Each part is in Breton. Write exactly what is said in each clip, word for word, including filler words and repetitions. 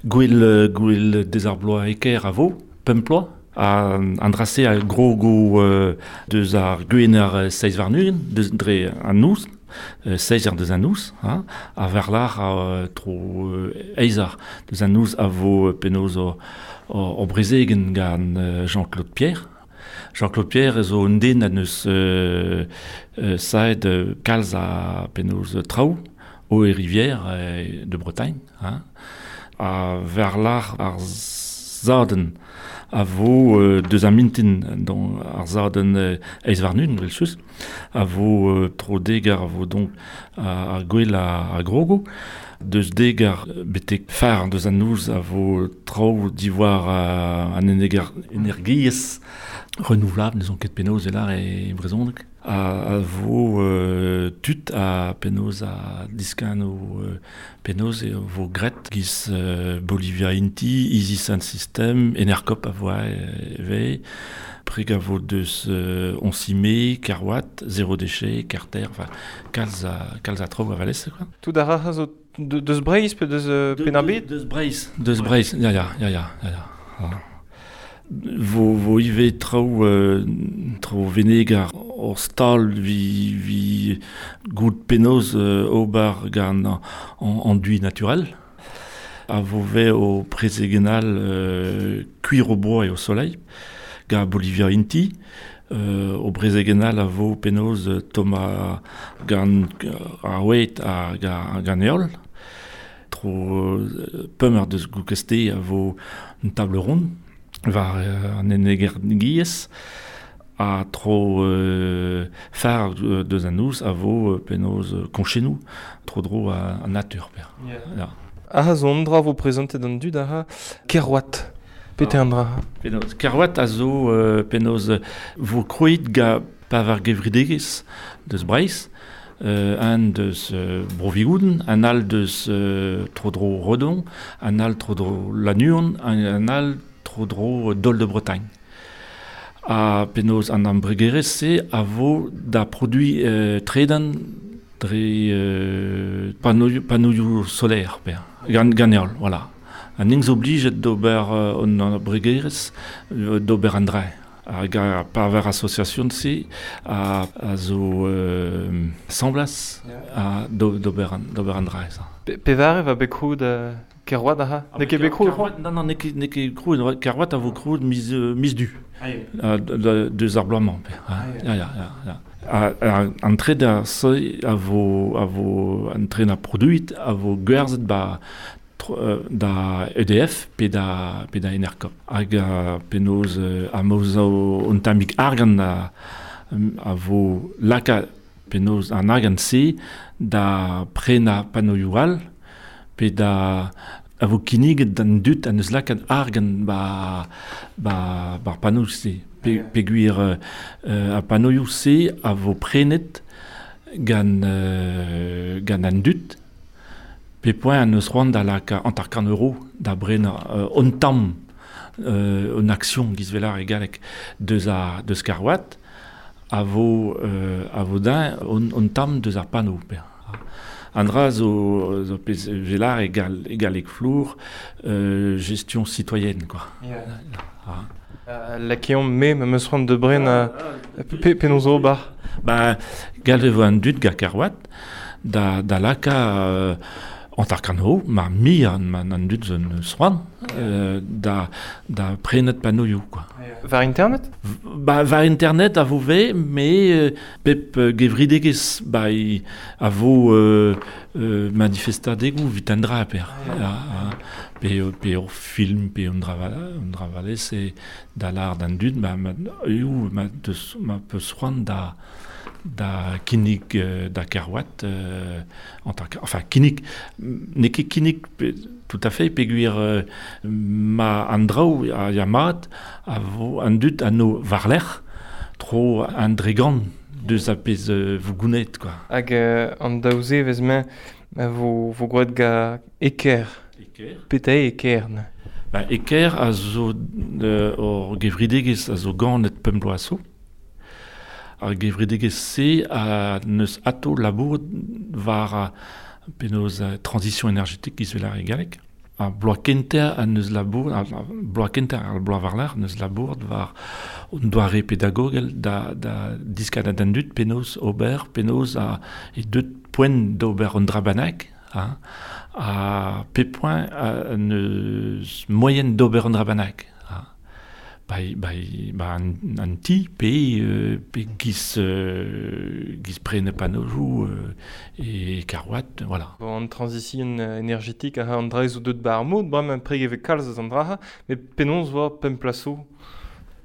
Gwell, gwell deus ar bloaz eker a vo, pemp ploaz. A, an drase a grogo euh, deus ar gwener seiz warn-ugent, deus dre an noz, euh, seiz ar deus an noz, hein, a verlar a tro euh, eiz ar deus an noz a vo penaos o, o, o brezegen gant Jean-Claude Pierre. Jean-Claude Pierre zo un den a neus euh, euh, saet kalz a penaos traoù o e rivière euh, de Bretagne, hein. A verlar ar zaden a vo euh, deus ar mintin don ar zaden euh, eiz warn-ugent, brel a vo euh, tro degar a vo donc a, a gwell a, a grogo deus degar betek far deus an noz a vo traoù diwar a, an enegar energiezh renouvelable, n'eus ket penaos e lar e brezhoneg a, a vo euh, tud a penaos a diskan o euh, penaos e vo gret giz euh, Bolivia Inti, Easy Sun System, Enercop a vo e preg a vo deus euh, Oncimé, Kerwat, Zéro Déchet, Carter, enfin, kalz a, kalz a traoù a valez, quoi. Tout ar ra zo de, deus Breizh pe deus euh, Penn-ar-Bed? Deus Breizh, deus Breizh, ya ya, ya ya, ya ya. Ah. Vo, vo ivez traoù, euh, traoù venegar ur stal vi, vi gout penaos euh, ober gant an, an enduit naturel. A vo ve o prezegenal euh, cuir au bois et au soleil, ga Bolivia Inti. Euh, o brezegenal a vo penaos Thomas gant ar oet a ga, gant eol. Tro euh, pemp deus goukeste a vo un table ronde war euh, an energiezh a tro euh, far deus an noz a vo euh, penaos euh, konchenou tro dro a, a natur per. Yeah. Ya. Ah, zo an dra vo prezentet an dud aha Kerwat. Pete an dra. Penaos Kerwat a zo euh, penaos vo kroet ga pavar gevridegez deus Breizh, euh, an deus euh, Brovigouden, an al deus euh, tro dro Redon, an al tro dro Lannuon, an, an al tro dro Dol de Bretagne. A penaos an ambregerez-se a vo da produit euh, tredan dre euh, panneau, panneau solaire, per. Gan, ganeol, voilà. An ing zo oblijet d'ober euh, an ambregerez euh, d'ober an dre. Hag a paver association-se a, a zo euh, semblas a d'ober an, d'ober an dre, ça. Pe, pevare va bet kroet euh, Kerwat aha? Ah, N'eo ket bet kroet, Kerwat, non, non, n'eo ket, n'eo ket kroet, Kerwat a vo kroet miz, euh, miz du. Ah, deus ar bloaz-mañ. Ah, ya, ya, ya, ya. A, a, an tre da seuil a vo, a vo an tre na produit a vo gwerzhet ba tro, euh, da E D F pe da, pe da Enercop. Hag a penaos euh, a moz o un tammig argant a, a vo laka penaos an argant se da prena panoioù all pe da a vo kinniget d'an dud an eus lakaat argant ba, ba, ba panoioù se. Pe, pe gwir euh, a panoioù se a vo prenet gant, euh, gant an dud pe poent an eus c'hoant da laka hanter-kant euro da brenañ euh, un tamm euh, un action giz velar e galleg deus a deus Kerwat a vo euh, a vo din un, un tamm deus ar pano per. An dra zo, zo pez velar e gal, e galleg flour euh, gestion citoyenne quoi. Yeah. Ah. Euh, lakeomp me ma meus c'hoant de bren a pe, penaos zo bar. Ba galve vo an dud ga Kerwat da, da laka euh, hanter-kant euro, ma mi an, ma an dud zo eus c'hoant euh, da, da prenet panoioù quoi. War internet? Ba, war internet a vo ve, me euh, pep euh, gevridegez ba i, a vo euh, euh, manifestadegou vit an dra per. Ah, ah, pe, pe ur film, pe un dra un dra valez e da lar d'an dud, ma, ma, eo, ma, deus, ma peus c'hoant da da kinnig euh, da Kerwat euh, en tant que, enfin kinnig n'eo ket kinnig pe, tout à fait peogwir euh, ma an draoù a ya mat a vo an dud an o warlerc'h tro an dregant deus a pezh euh, vo gounet quoi. Hag euh, an daou-se vez mañ a vo, vo gwraet ga Eker. Eker. Peta eo Eker ne? Ba, Eker a zo euh, ur gevridegezh a zo ganet pemp bloaz zo. Ar gevridegezh-se a neus ato labouret war a penaos a transition énergétique giz vel ar e galleg. Ar bloaz kentañ an eus labour, ar bloaz kentañ ar bloaz war-lerc'h neus labour war un doare pedagogel da, da diskadat an dud penaos ober, penaos a e deut poent d'ober un dra bennak, hein, ha pe poent an eus moyen d'ober un dra bennak. Hein. Ba, ba, ba an, an ti pe, euh, pe giz, euh, giz prene panojou euh, e karouat, voilà. Bon, an transition énergétique a an dra zo deut ba ar mod, bremañ preg eve kalz eus an dra, met penaos war pemp plaso?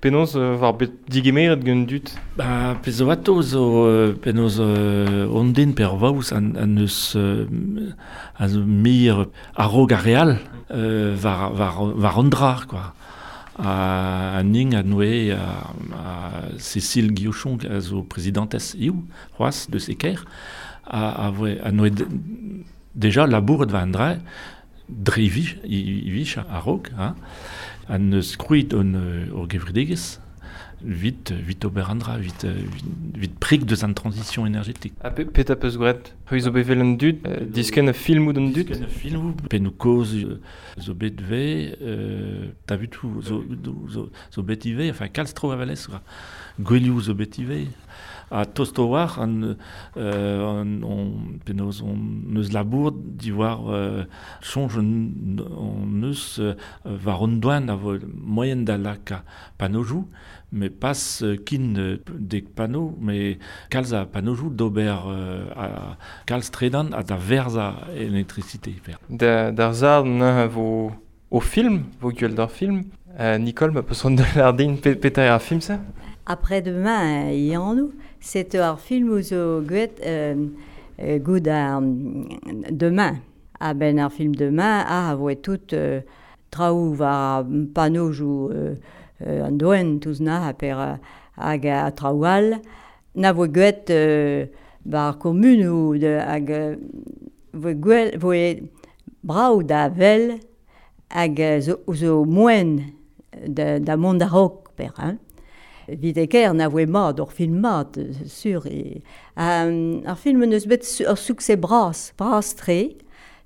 Penaos euh, war bet digemeret gant dud? Ba, pezh zo ato zo euh, penaos euh, on den per vaouz an, an eus euh, a zo mir a-raok ar real euh, war, war, war an dra, quoi. A, a ning a noe a, a Cécile Guillochon a zo prezidentez iou, c'hoazh deus Eker, a, a, voe, a noe de, deja labouret war an dra, dre vich, i, vich a-raok, hein, an eus krouet on ur gevredigezh, vit, vit ober an dra, vit, vit, vit prik deus an transition énergétique. Ha pe, pet a peus graet? C'hwi zo bet vel an dud, euh, disken a filmoù d'an dud? Disken a filmoù, pennoù kozh euh, zo bet ve, euh, tabutoù zo, zo, zo bet ivez, enfin kalz tro a valez, gwelioù zo bet ivez. Ha tost o war, an, euh, an, on, penaos on neus labour diwar euh, soñj on, on neus euh, war an doan a vo moyen da laka panojou, mais pas euh, kin euh, dek pano, mais kalz a panojou d'ober euh, a kalz tredan a da verza électricité. Per. Da, d'ar zard neuze vo o film, vo gwell d'ar film. Euh, Nicole, ma peus c'hoant da lardin pe, petra eo ar film ça? Après-demain, yannou, c'est ar film zo gwet euh, euh, goud ar demain. A ben ar film demain a a voe tout euh, traoù war panojou euh, euh, an doen touz na ha per euh, hag a traoù all. Na voe gwet euh, bar komunou de, hag euh, voe gwell, voe brav da vel hag zo, zo moen da, da mont a-raok per, hein. Vit eker na voe mat, ur film mat, sur. E, um, ar film neus bet su, ur succès bras, bras tre,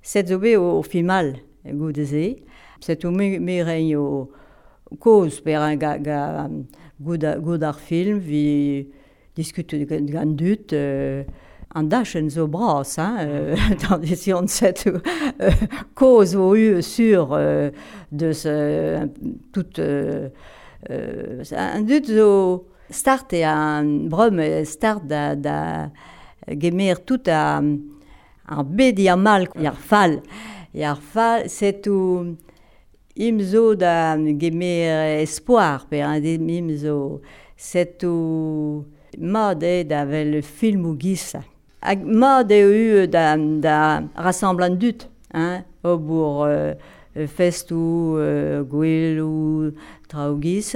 set zo bet o, o film all, goude-se. Set o me, me reiñ o koz per un ga, ga goud, goud ar film, vi diskute gant, gant dud, euh, an dachenn zo bras, hein, euh, dans on set euh, koz o u sur euh, deus euh, tout euh, Euh, an dud zo start e an brom start da, da gemer tout a ar bed ar mal, ar fall. Ar fall, set ou im zo da gemer espoir, per an im zo set ou mat eo da vel film ou giz. Hag mat eo u da, da rassembl an dud, hein, obour euh, festou, euh, gwell ou traoù giz,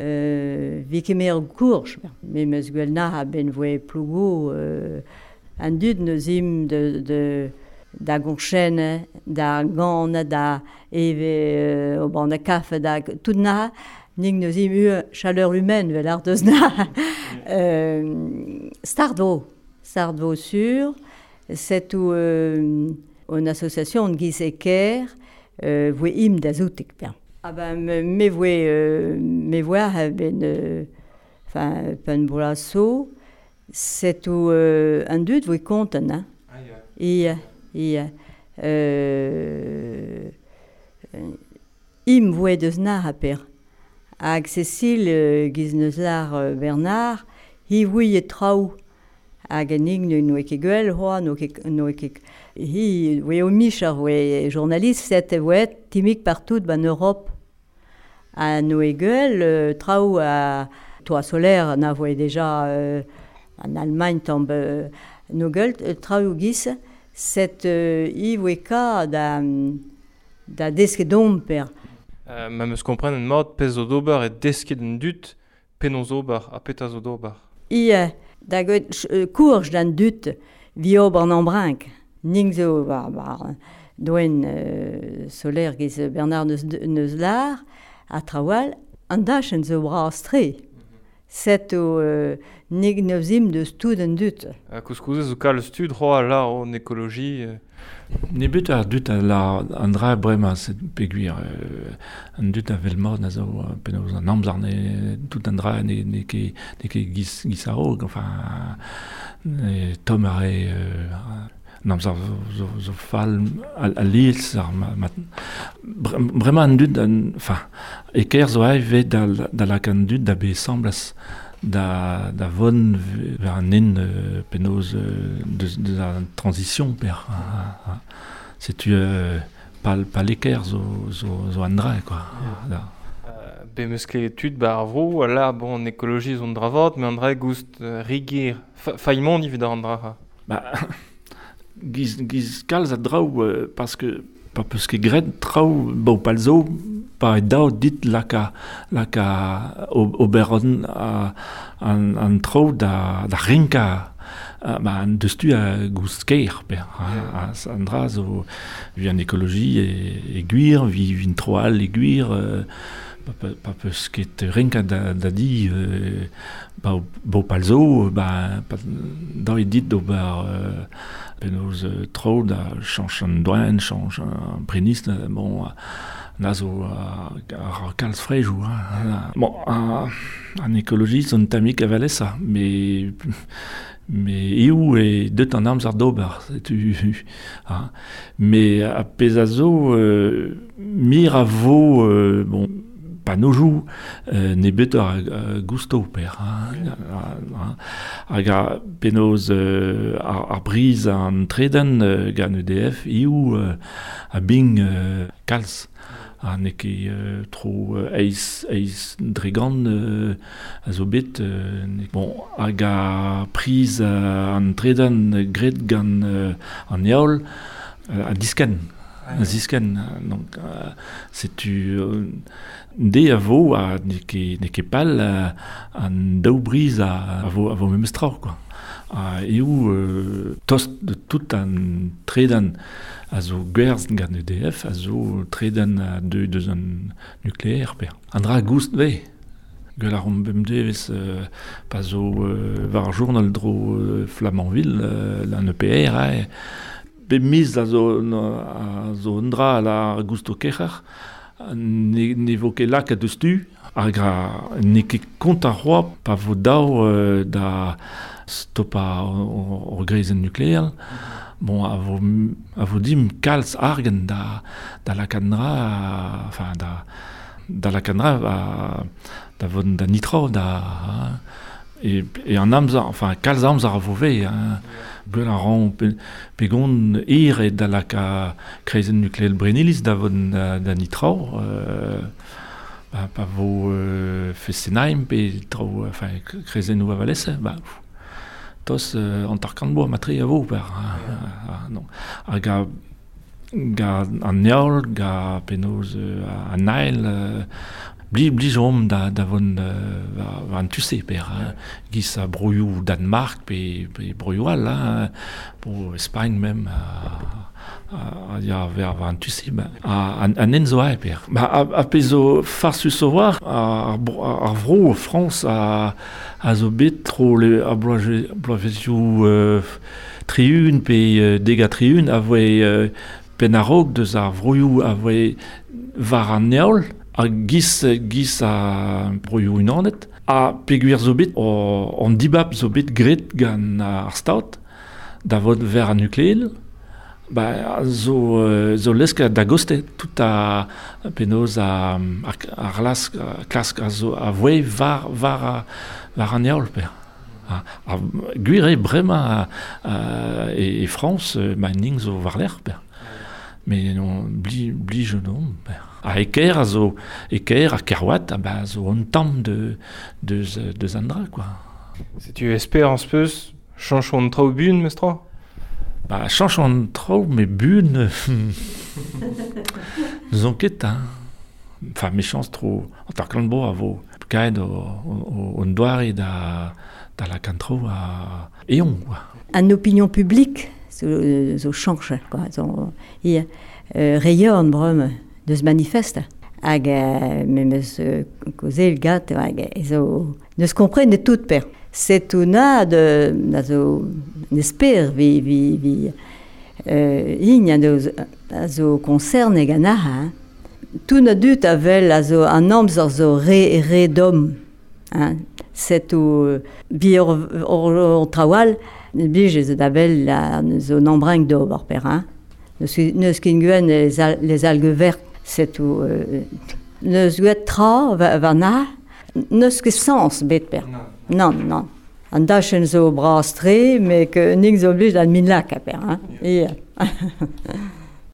euh, vi kemer kourj. Me meus gwell na a ben voe plougo, euh, an dud neus im de, de, da gonchen, da gant, da eve euh, o ban da kafe, da tout na, ning neus im u chaleur humaine, vel ar deus na. euh, start vo, start vo sur, set ou euh, on association giz eker, euh, voe im da zoutek per. Ah ben, me, me voe, euh, me voe a ben, euh, enfin, pen bolaso, set ou euh, an dud voe konten, hein. Ah, ya. Ia, ia. Euh, im voe deus nar a per. Hag Cécile euh, giz neus lar euh, Bernard, hi voe e traoù. Hag an ig n'oe ket gwell, hoa, n'oe ket, n'oe ket... Hi voe o mich ar voe journaliste, set e voe timik partout ban Europe. Ha n'oe gwell, euh, traoù a toit solaire na voe déjà euh, en Allemagne tombe euh, no gwell, euh, traoù giz, set euh, hi voe ka da, da desket domp per. Euh, ma meus kompren an mat pezh zo d'ober e desket an dud, penaos ober, ha petra zo d'ober. Ia, da gwet euh, kourj d'an dud vi ober an embrink. Ning zo war, war doen euh, solaire giz Bernard neus, neus lar, a trawal, an dachenn zo bras tre. Set o euh, nig neus im deus tout an dud. Ha koulskoude zo kalz tud c'hoa lar an écologie. Euh. Nebet ar dut a la an dra bremañ set peogwir euh, an dut a vel mort a zo penaos an amzer ne tout an dra ne ne ket ne ket giz giz a-raok, enfin e tomm a re euh, an amzer zo, zo, zo fall al, al lies ar ma, ma, bremañ an dud an, enfin e ker zo ae da, da lak an dud da be semblas da, da von ver an en euh, penaos euh, deus, deus an transition per. Ha, ha. Setu euh, pal, pal eker zo, zo, zo an dra, quoi. Yeah. Da. Euh, be meus ket tud ba ar vro, la, bon, an ekoloji zo an dra vat, met an dra goust euh, riger, fa, faillement evit an dra. Ba, giz, giz kalz a draoù, euh, parce que pa peus ket graet traoù bo pal zo, pa e dao dit laka, laka ober an, an, an traoù da, da rinka ba, an deus tu a goust ker, per. Ha, an dra zo vi an ekoloji e, e gwir, vi vin tro all e gwir, euh, pa, pa peus ket rinka da, da di euh, ba, bo pal zo, ba, pa, dao e dit d'ober euh, penaos euh, traoù da chanch an doan, chanch an prenist, bon, na zo ar kalz frejou. Hein. Bon, an, an ekoloji zo un tammig avalesa, mais mais eo e deut an amzer d'ober, setu. Hein. Mais a pezh a zo, euh, mir a vo, euh, bon, pa nojou, euh, ne bet ar uh, gusto per. Hein, hein. Hag a penaos euh, ar, ar briz an treden euh, gant E D F, eo euh, a bing euh, kalz. Ha n'eo ket euh, tro euh, eiz, eiz dregant euh, a zo bet. Euh, bon, hag a priz euh, an treden graet gant euh, an heol euh, a disken. A zisken. Donc, euh, setu euh, de a vo a n'eo ket, n'eo ket pal euh, an daou briz a, a vo, a vo memes traoù, quoi. Ha eo euh, tost de tout an tredan a zo gwerz gant E D F, a zo tredan a deu deus an nukleer, per. An dra goust ve. Gwell ar omp bemdez vez euh, pa zo euh, war ar journal dro euh, Flamanville, euh, lan E P R, hein. Be miz a zo, a zo un dra la gusto kerc'her, ne, ne vo ket lakaet deus tu, hag a n'eo ket kont ar c'hoa pa vo dao euh, da stopa ur greizenn nukleel. Bon, a vo, a vo dim kalz argen da, da lakaat dra, enfin, da, da lakaat dra, a, da von da nitro, da, hein. E, e an amzer, enfin, kalz amzer a vo ve, hein. Gwell a ran pe, pegon ir e da laka kreizenn nukleel Brenilis da von da, da nitro, euh, ba, pa vo euh, Fessenheim pe tro, enfin, kreizenn ou avalese, ba, pff, tos euh, an tarkant boa matre a vo, per, hein, hein, non. Hag a, ga an heol, ga penaos euh, an ael, euh, bli, bli jom da, da von euh, war, war an tuse, per, hein. Giz a broioù Danemark pe, pe broioù all, hein, bro Espagne même, a, a, a ya ver war an tuse, ba, a, an, an en zo ae, per. Ba, a, a pe zo farsus o war, ar, ar vro Frañs a, a zo bet tro le, a bloaje, bloavezioù euh, triun pe euh, dega triun a voe euh, penn a-raok deus ar vroioù a voe war an heol, a giz, giz a broioù unanet, a peogwir zo bet o, an dibab zo bet graet gant ar stad da vot ver an nukleel, ba, zo, zo lesk da goste tout a penaos a, ar, ar lask, klask a zo a voe war, war, a, war an heol, per. A, a, gwir eo bremañ a, a, e, e Frañs, ma ning zo war-lerc'h, per. Mais non, bli, bli jeune homme, per. A eker a zo, eker a Kerouat, a ba zo un tamm de, de, de Zandra, quoi. Setu espérance peus, chanch an traoù bun, mestra? Ba, chanch an traoù, mais bun, n'eus on ket, hein. Enfin, méchance tro, an tarklant bo a vo kaet o, o, o doare da, da la kantro a eon, quoi. An opinion publique zo, zo chanch, quoi. Zo, ia, euh, reion brem deus manifeste. Hag euh, memes euh, kozel gat, hag zo neus kompren de tout per. Setu na de na zo nesper vi vi vi Euh, Ign a zo, a zo concerne gant ar, hein. Tout a dut a vel a zo an amzer zo re, re dom. Hein. Set o bi ur, ur, ur trawal, bij zo da vel a, zo n'embringue d'ober per, hein. Neus, neus ket gwen les, al, les algues vertes, set o... Euh, neus gwet tra va, va na, neus ket sens bet per. Non, non. An dachen zo bras tre, me ke ning zo oblige d'an min lak a per, hein. Yeah.